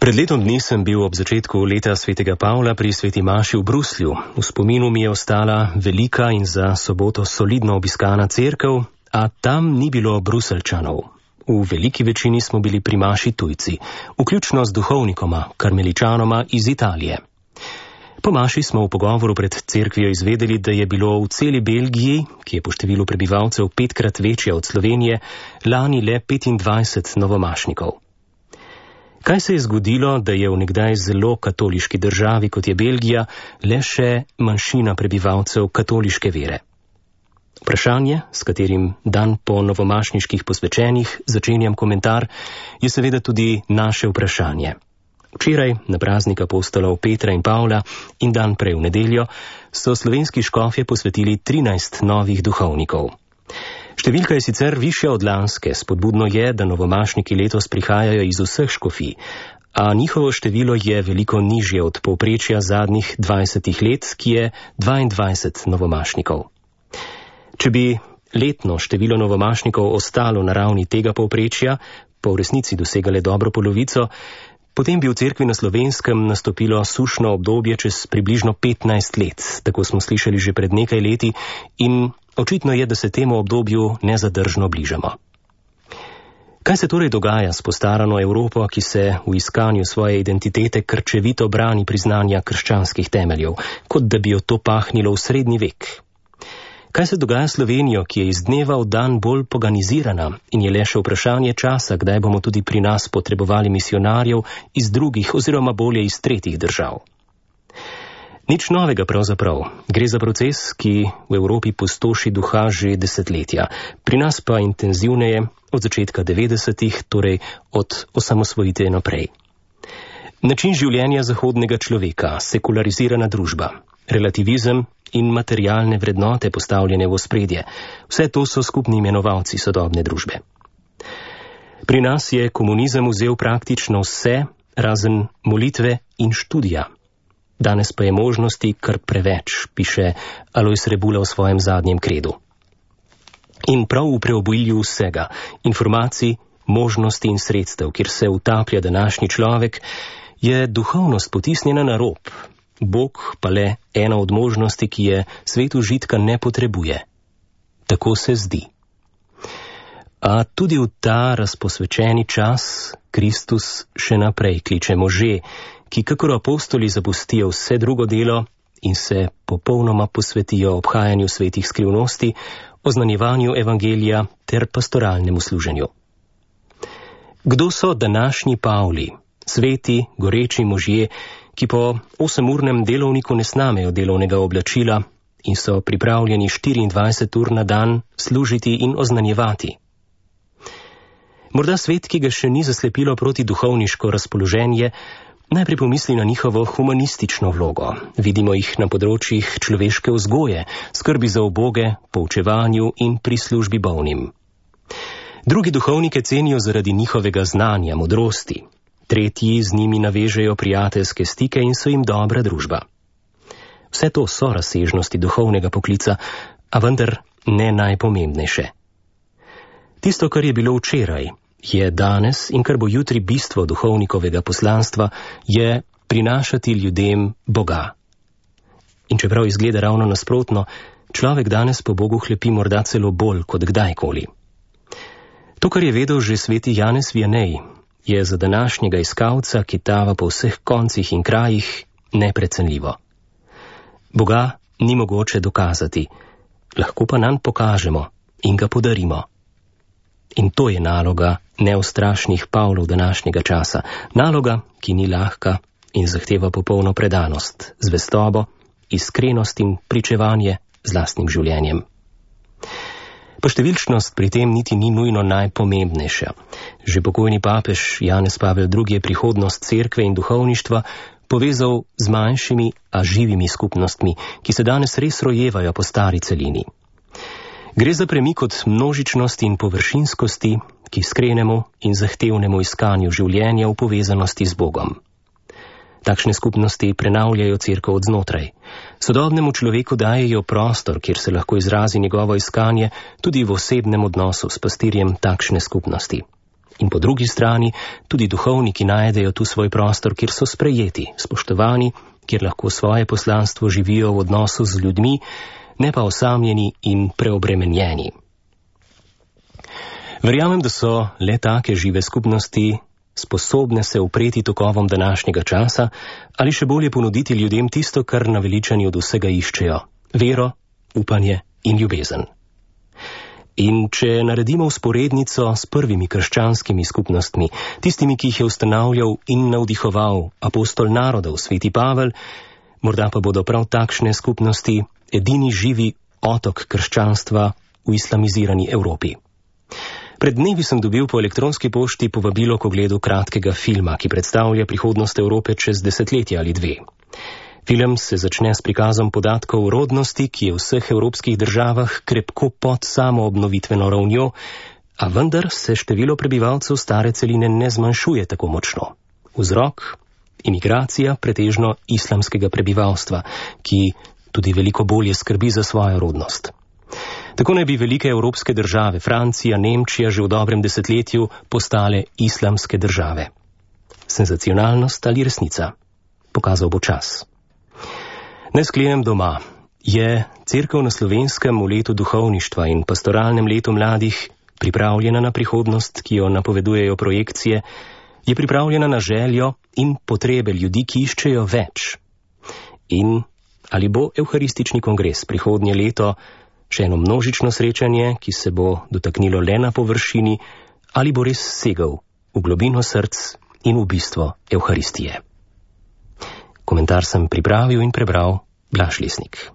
Pred letom dni sem bil ob začetku leta svetega Pavla pri sveti maši v Bruslju. V spominu mi je ostala velika in za soboto solidno obiskana cerkev, a tam ni bilo Bruseljčanov. V veliki večini smo bili pri maši tujci, vključno z duhovnikoma, karmeličanoma iz Italije. Po maši smo v pogovoru pred cerkvijo izvedeli, da je bilo v celi Belgiji, ki je po številu prebivalcev 5-krat večja od Slovenije, lani le 25 novomašnikov. Kaj se je zgodilo, da je v nekdaj zelo katoliški državi, kot je Belgija, le še manjšina prebivalcev katoliške vere? Vprašanje, s katerim dan po novomašniških posvečenih začenjam komentar, je seveda tudi naše vprašanje. Včeraj, na praznik apostolov Petra in Pavla in dan prej v nedeljo, so slovenski škofje posvetili 13 novih duhovnikov. Številka je sicer višja od lanske, spodbudno je, da novomašniki letos prihajajo iz vseh škofij, a njihovo število je veliko nižje od povprečja zadnjih 20 let, ki je 22 novomašnikov. Če bi letno število novomašnikov ostalo na ravni tega povprečja, pa v resnici dosegale dobro polovico, potem bi v cerkvi na Slovenskem nastopilo sušno obdobje čez približno 15 let, tako smo slišali že pred nekaj leti, in očitno je, da se temu obdobju nezadržno bližamo. Kaj se torej dogaja s postarano Evropo, ki se v iskanju svoje identitete krčevito brani priznanja krščanskih temeljev, kot da bi jo to pahnilo v srednji vek? Kaj se dogaja s Slovenijo, ki je iz dneva v dan bolj poganizirana in je le še vprašanje časa, kdaj bomo tudi pri nas potrebovali misionarjev iz drugih oziroma bolje iz tretjih držav? Nič novega pravzaprav. Gre za proces, ki v Evropi pustoši duha že desetletja, pri nas pa intenzivneje od začetka 90-ih, torej od osamosvojitve naprej. Način življenja zahodnega človeka, sekularizirana družba, relativizem in materialne vrednote postavljene v ospredje, vse to so skupni imenovalci sodobne družbe. Pri nas je komunizem vzel praktično vse, razen molitve in študija. Danes pa je možnosti kar preveč, piše Alojz Rebula v svojem zadnjem kredu. In prav v preobilju vsega, informacij, možnosti in sredstev, kjer se utaplja današnji človek, je duhovnost potisnjena na rob, Bog pa le ena od možnosti, ki je svet užitka ne potrebuje. Tako se zdi. A tudi v ta razposvečeni čas Kristus še naprej kliče može, ki kakor apostoli zapustijo vse drugo delo in se popolnoma posvetijo obhajanju svetih skrivnosti, oznanjevanju evangelija ter pastoralnemu služenju. Kdo so današnji Pavli, sveti, goreči možje, ki po 8-urnem delovniku ne snamejo delovnega oblačila in so pripravljeni 24 ur na dan služiti in oznanjevati? Morda svet, ki ga še ni zaslepilo proti duhovniško razpoloženje, najprej pomisli na njihovo humanistično vlogo. Vidimo jih na področjih človeške vzgoje, skrbi za uboge, poučevanju in pri službi bolnim. Drugi duhovnike cenijo zaradi njihovega znanja, modrosti. Tretji z njimi navežejo prijateljske stike in so jim dobra družba. Vse to so razsežnosti duhovnega poklica, a vendar ne najpomembnejše. Tisto, kar je bilo včeraj, je danes in kar bo jutri bistvo duhovnikovega poslanstva, je prinašati ljudem Boga. In čeprav izgleda ravno nasprotno, človek danes po Bogu hlepi morda celo bolj kot kdajkoli. To, kar je vedel že sveti Janez Vianney, je za današnjega iskalca, ki tava po vseh koncih in krajih, neprecenljivo. Boga ni mogoče dokazati, lahko pa nanj pokažemo in ga podarimo. In to je naloga neustrašnih Pavlov današnjega časa. Naloga, ki ni lahka in zahteva popolno predanost, zvestobo, iskrenost in pričevanje z lastnim življenjem. Poštevilčnost pri tem niti ni nujno najpomembnejša. Že pokojni papež Janez Pavel II. Je prihodnost cerkve in duhovništva povezal z manjšimi, a živimi skupnostmi, ki se danes res rojevajo po stari celini. Gre za premik od množičnosti in površinskosti k iskrenemu in zahtevnemu iskanju življenja v povezanosti z Bogom. Takšne skupnosti prenavljajo cerkev od znotraj. Sodobnemu človeku dajejo prostor, kjer se lahko izrazi njegovo iskanje tudi v osebnem odnosu s pastirjem takšne skupnosti. In po drugi strani tudi duhovniki najdejo tu svoj prostor, kjer so sprejeti, spoštovani, kjer lahko svoje poslanstvo živijo v odnosu z ljudmi, ne pa osamljeni in preobremenjeni. Verjamem, da so le take žive skupnosti sposobne se upreti tokovom današnjega časa ali še bolje ponuditi ljudem tisto, kar naveličani od vsega iščejo: vero, upanje in ljubezen. In če naredimo vzporednico s prvimi krščanskimi skupnostmi, tistimi, ki jih je ustanavljal in navdihoval apostol narodov, sveti Pavel, morda pa bodo prav takšne skupnosti edini živi otok krščanstva v islamizirani Evropi. Pred dnevi sem dobil po elektronski pošti povabilo k ogledu kratkega filma, ki predstavlja prihodnost Evrope čez desetletje ali dve. Film se začne s prikazom podatkov o rodnosti, ki je v vseh evropskih državah krepko pod samo obnovitveno ravnjo, a vendar se število prebivalcev stare celine ne zmanjšuje tako močno. Vzrok? Imigracija pretežno islamskega prebivalstva, ki tudi veliko bolje skrbi za svojo rodnost. Tako naj bi velike evropske države, Francija, Nemčija, že v dobrem desetletju postale islamske države. Senzacionalnost ali resnica? Pokazal bo čas. Naj sklenem doma. Je Cerkev na Slovenskem v letu duhovništva in pastoralnem letu mladih pripravljena na prihodnost, ki jo napovedujejo projekcije? Je pripravljena na željo in potrebe ljudi, ki iščejo več? In ali bo Evharistični kongres prihodnje leto še eno množično srečanje, ki se bo dotaknilo le na površini, ali bo res segel v globino src in v bistvo Evharistije? Komentar sem pripravil in prebral Blaž Lesnik.